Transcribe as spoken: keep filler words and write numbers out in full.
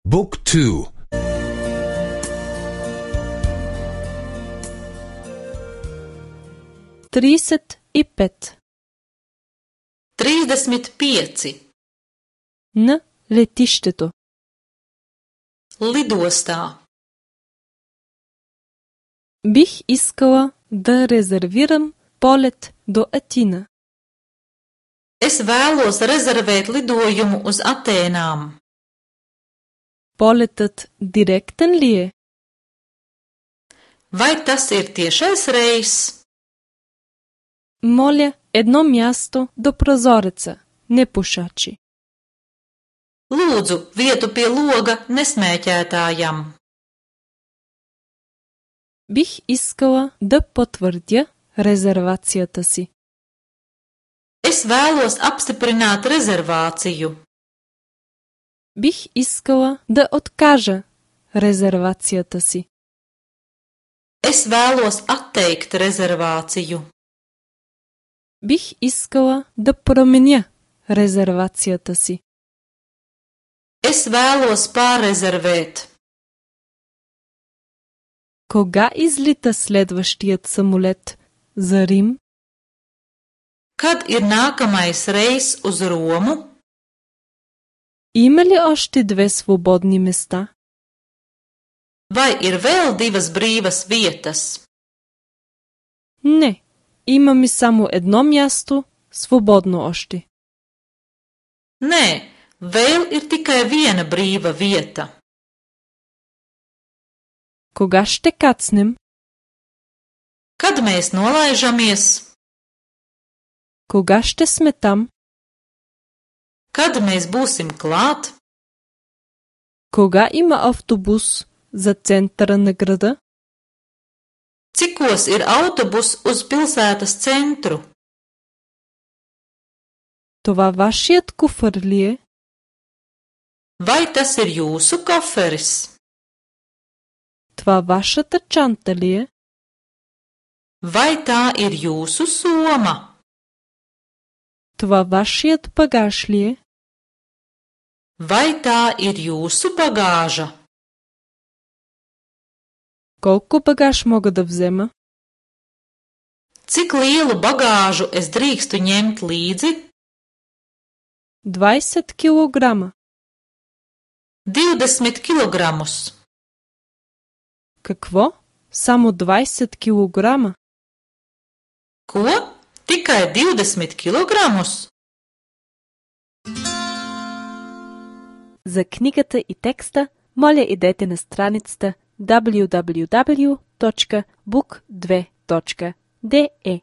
Book two. trideset i pet. Тридесет pieci. На летището. Lidostā. Бих искала да резервирам полет до Атина. Es vēlos rezervēt lidojumu uz Atēnām. Полетът директен ли е? Vai tas ir tiešais reiss? Моля, едно място до прозореца, не пушачи. Lūdzu, vietu pie loga nesmēķētājam. Бих искала да потвърдя резервацията си. Es vēlos apstiprināt rezervāciju. Бих искала да откажа резервацията си. Es vēlos atteikt rezervāciju. Бих искала да променя резервацията си. Es vēlos pārrezervēt. Кога излита следващият самолет за Рим? Kad ir nākamais reiss uz Romu? Има ли още две свободни места? Vai ir vēl divas brīvas vietas? Не, имаме само едно място свободно още. Nē, vēl ir tikai viena brīva vieta. Кога ще кацнем? Kad mēs nolaižamies? Кога ще сме там? Kad mēs būsim klāt? Кога има автобус за центъра на града? Cikos ir autobus uz pilsētas centru? Това вашият куфър ли е? Vai tas ir jūsu koferis? Това вашата чанта ли е? Vai tā ir jūsu soma? Това вашият багаж ли е? Vai tā ir jūsu bagāža? Колко багаж мога да взема? Cik lielu bagāžu es drīkstu ņemt līdzi? двайсет килограма. Divdesmit kilogramus. Какво? Само двайсет килограма? Ko? Tikai divdesmit kilogramus? За книгата и текста, моля идете на страницата дабълю дабълю дабълю точка бук две точка де е.